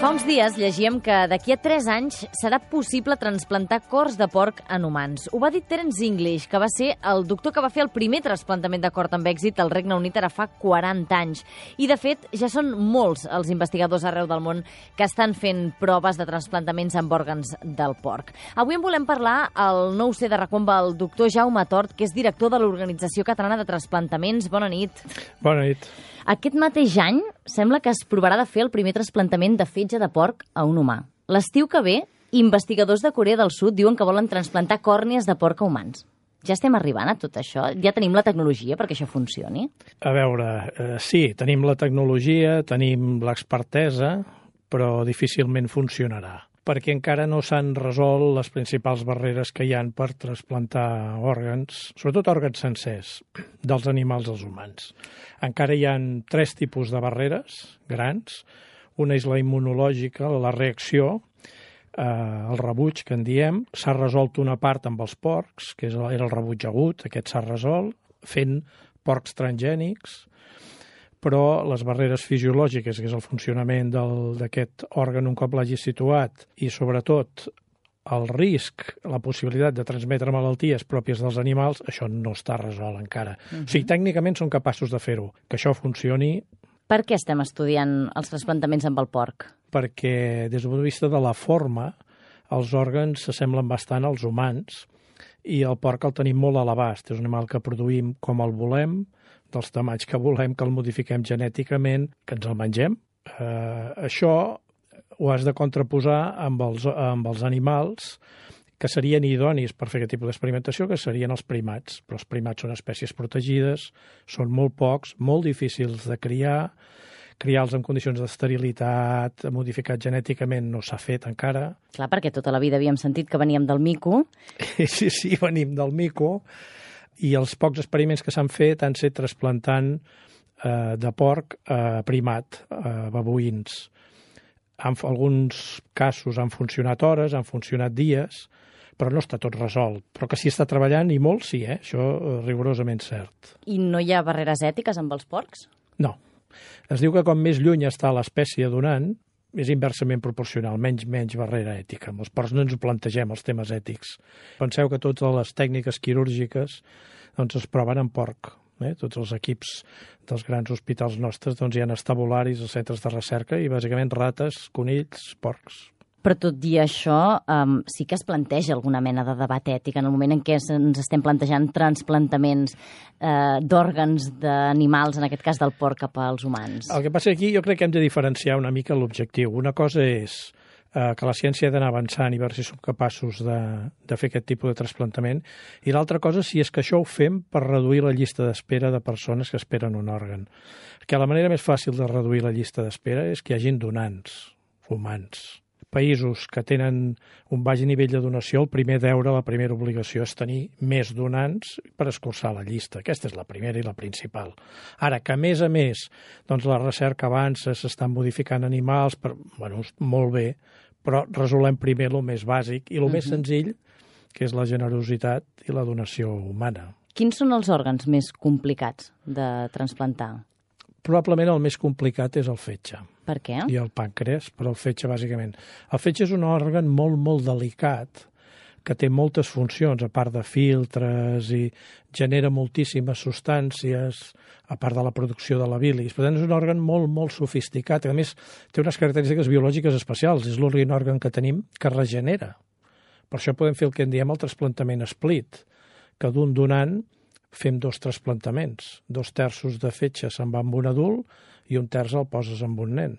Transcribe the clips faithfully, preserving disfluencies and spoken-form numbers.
Fa uns dies llegíem que d'aquí a tres anys serà possible transplantar cors de porc en humans. Ho va dir Terence English, que va ser el doctor que va fer el primer trasplantament de cor amb èxit al Regne Unit ara fa quaranta anys. I, de fet, ja són molts els investigadors arreu del món que estan fent proves de transplantaments amb òrgans del porc. Avui en volem parlar al nou C de Racomba, el doctor Jaume Tort, que és director de l'Organització Catalana de Transplantaments. Bona nit. Bona nit. Aquest mateix any sembla que es provarà de fer el primer trasplantament de fetge de porc a un humà. L'estiu que ve, investigadors de Corea del Sud diuen que volen transplantar còrnies de porc a humans. Ja estem arribant a tot això? Ja tenim la tecnologia perquè això funcioni? A veure, eh, sí, tenim la tecnologia, tenim l'expertesa, però difícilment funcionarà, perquè encara no s'han resolt les principals barreres que hi han per trasplantar òrgans, sobretot òrgans sencers, dels animals als humans. Encara hi ha tres tipus de barreres grans. Una és la immunològica, la reacció, eh, el rebuig, que en diem. S'ha resolt una part amb els porcs, que era el rebuig agut, aquest s'ha resolt, fent porcs transgènics, però les barreres fisiològiques, que és el funcionament d'aquest òrgan un cop l'hagi situat, i sobretot el risc, la possibilitat de transmetre malalties pròpies dels animals, això no està resolt encara. Uh-huh. O sigui, tècnicament són capaços de fer-ho. Que això funcioni. Per què estem estudiant els trasplantaments amb el porc? Perquè, des del punt de vista de la forma, els òrgans s'assemblen bastant als humans i el porc el tenim molt a l'abast. És un animal que produïm com el volem, dels tamalls que volem, que el modifiquem genèticament, que ens el mengem. Eh, això ho has de contraposar amb els, amb els animals que serien idonis per fer aquest tipus d'experimentació, que serien els primats. Però els primats són espècies protegides, són molt pocs, molt difícils de criar, criar-los en condicions d'esterilitat, modificat genèticament, no s'ha fet encara. Clar, perquè tota la vida havíem sentit que veníem del mico. Sí, sí, venim del mico, i els pocs experiments que s'han fet han set trasplantant eh, de porc a primat, a babuïns. En alguns casos han funcionat hores, han funcionat dies, però no està tot resolt. Però que s'hi està treballant, i molt sí, eh? Això rigorosament cert. I no hi ha barreres ètiques amb els porcs? No. Es diu que com més lluny està l'espècie donant, és inversament proporcional, menys menys barrera ètica. Amb els porcs no ens ho plantegem, els temes ètics. Penseu que totes les tècniques quirúrgiques doncs, es proven en porc. Eh? Tots els equips dels grans hospitals nostres doncs, hi ha estabularis, els centres de recerca, i bàsicament rates, conills, porcs. Però tot i això, um, sí que es planteja alguna mena de debat ètic en el moment en què ens estem plantejant transplantaments eh, d'òrgans d'animals, en aquest cas del porc, cap als humans. El que passa aquí, jo crec que hem de diferenciar una mica l'objectiu. Una cosa és eh, que la ciència ha d'anar avançant i veure si som capaços de, de fer aquest tipus de trasplantament, i l'altra cosa si és que això ho fem per reduir la llista d'espera de persones que esperen un òrgan. Perquè la manera més fàcil de reduir la llista d'espera és que hi hagin donants humans. Països que tenen un baix nivell de donació, el primer deure, la primera obligació és tenir més donants per escurçar la llista. Aquesta és la primera i la principal. Ara, que a més a més doncs la recerca avança, s'estan modificant animals, per, bueno, molt bé, però resolem primer el més bàsic i el uh-huh. més senzill, que és la generositat i la donació humana. Quins són els òrgans més complicats de transplantar? Probablement el més complicat és el fetge. Per què? I el pàncreas, però el fetge, bàsicament. El fetge és un òrgan molt, molt delicat, que té moltes funcions, a part de filtres, i genera moltíssimes substàncies, a part de la producció de la bilis. Per tant, és un òrgan molt, molt sofisticat. A més, té unes característiques biològiques especials. És l'únic òrgan que tenim que regenera. Per això podem fer el que en diem el trasplantament split, que d'un donant fem dos trasplantaments. Dos terços de fetge se'n va amb un adult i un terç el poses amb un nen.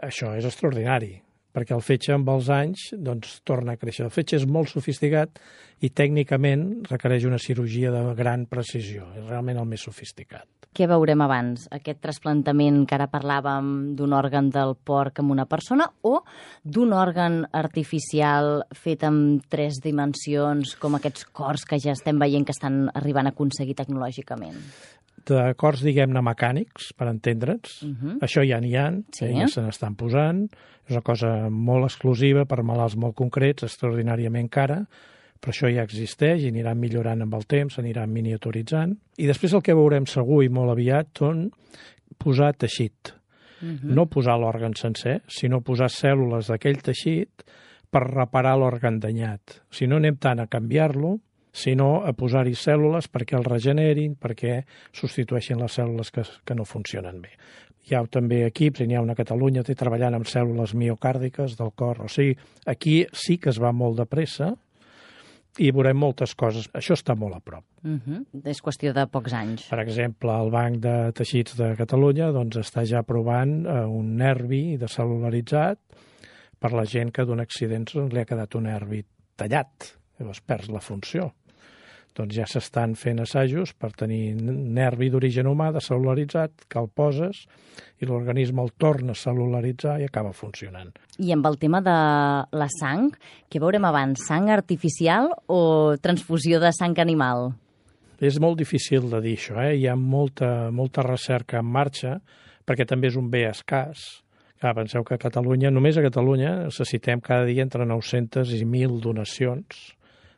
Això és extraordinari, perquè el fetge amb els anys doncs, torna a créixer. El fetge és molt sofisticat i tècnicament requereix una cirurgia de gran precisió. És realment el més sofisticat. Què veurem abans? Aquest trasplantament que ara parlàvem d'un òrgan del porc amb una persona o d'un òrgan artificial fet amb tres dimensions, com aquests cors que ja estem veient que estan arribant a aconseguir tecnològicament? De cors, diguem-ne, mecànics, per entendre'ns. Uh-huh. Això ja n'hi ha, sí. eh, ja se n'estan posant. És una cosa molt exclusiva per malalts molt concrets, extraordinàriament cara, però això ja existeix i aniran millorant amb el temps, s'aniran miniaturitzant. I després el que veurem segur i molt aviat són posar teixit. Uh-huh. No posar l'òrgan sencer, sinó posar cèl·lules d'aquell teixit per reparar l'òrgan danyat. Si no anem tant a canviar-lo, sinó a posar-hi cèl·lules perquè el regenerin, perquè substitueixin les cèl·lules que, que no funcionen bé. Hi ha també equips, i n'hi ha una a Catalunya, té treballant amb cèl·lules miocàrdiques del cor. O sigui, aquí sí que es va molt de pressa i veurem moltes coses. Això està molt a prop. Uh-huh. És qüestió de pocs anys. Per exemple, el Banc de Teixits de Catalunya doncs, està ja provant eh, un nervi descel·lularitzat per la gent que d'un accident li ha quedat un nervi tallat, llavors perds la funció. Doncs ja s'estan fent assajos per tenir nervi d'origen humà descel·lularitzat, que el poses i l'organisme el torna a cel·lularitzar i acaba funcionant. I amb el tema de la sang, què veurem abans? Sang artificial o transfusió de sang animal? És molt difícil de dir això, eh? Hi ha molta, molta recerca en marxa, perquè també és un bé escàs. Clar, penseu que a Catalunya, només a Catalunya, necessitem cada dia entre nou-centes i mil donacions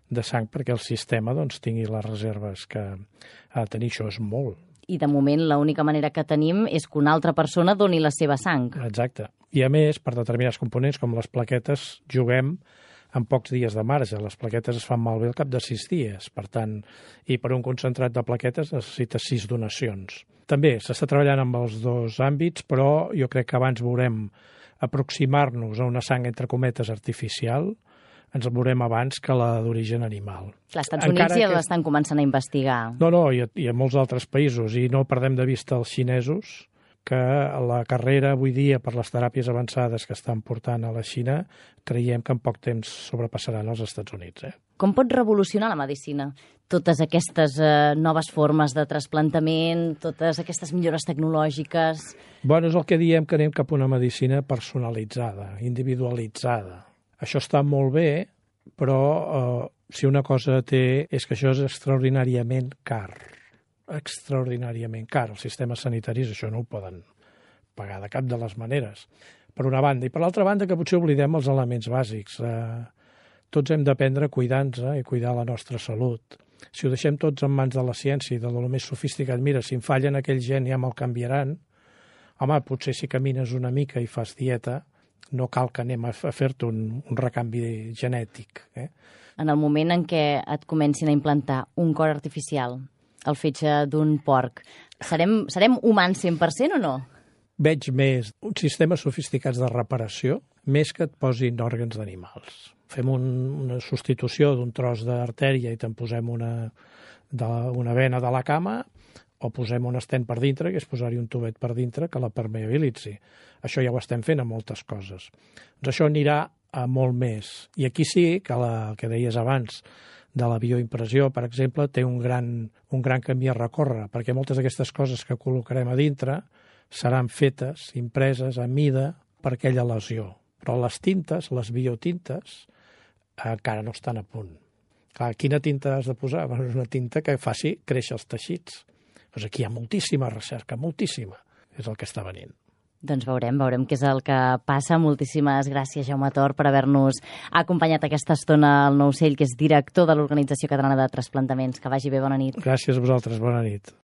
de sang perquè el sistema doncs, tingui les reserves que ha de tenir. Això és molt. I de moment l'única manera que tenim és que una altra persona doni la seva sang. Exacte. I a més, per determinats components com les plaquetes, juguem amb pocs dies de marge. Les plaquetes es fan malbé al cap de sis dies. Per tant, i per un concentrat de plaquetes necessita sis donacions. També s'està treballant amb els dos àmbits, però jo crec que abans veurem aproximar-nos a una sang, entre cometes, artificial, ens veurem abans que la d'origen animal. Els Estats Units ja que... l'estan començant a investigar. No, no, i a, i a molts altres països. I no perdem de vista els xinesos, que la carrera avui dia per les teràpies avançades que estan portant a la Xina, creiem que en poc temps sobrepassaran els Estats Units. Eh? Com pot revolucionar la medicina? Totes aquestes eh, noves formes de trasplantament, totes aquestes millores tecnològiques... Bueno, és el que diem, que anem cap a una medicina personalitzada, individualitzada. Això està molt bé, però eh, si una cosa té és que això és extraordinàriament car. Extraordinàriament car. Els sistemes sanitaris això no ho poden pagar de cap de les maneres, per una banda. I per l'altra banda, que potser oblidem els elements bàsics. Eh, tots hem d'aprendre a cuidar-nos i cuidar la nostra salut. Si ho deixem tots en mans de la ciència i de lo més sofisticat, mira, si em fallen aquell gen ja me'l canviaran, home, potser si camines una mica i fas dieta, no cal que anem a fer-te un, un recanvi genètic. Eh? En el moment en què et comencin a implantar un cor artificial, el fetge d'un porc, serem, serem humans cent per cent o no? Veig més uns sistemes sofisticats de reparació, més que et posin òrgans d'animals. Fem un, una substitució d'un tros d'artèria i te'n posem una, de, una vena de la cama, o posem un estent per dintre, que és posar-hi un tubet per dintre que la permeabilitzi. Això ja ho estem fent a moltes coses. Doncs això anirà a molt més. I aquí sí que la que deies abans de la bioimpressió, per exemple, té un gran, un gran camí a recórrer, perquè moltes d'aquestes coses que col·locarem a dintre seran fetes, impreses a mida per aquella lesió. Però les tintes, les biotintes, encara no estan a punt. Clar, quina tinta has de posar? Bueno, és una tinta que faci créixer els teixits. Doncs aquí hi ha moltíssima recerca, moltíssima. És el que està venint. Doncs veurem, veurem què és el que passa. Moltíssimes gràcies, Jaume Tor, per haver-nos acompanyat aquesta estona al Nou Ocell, que és director de l'Organització Catalana de Trasplantaments. Que vagi bé, bona nit. Gràcies a vosaltres, bona nit.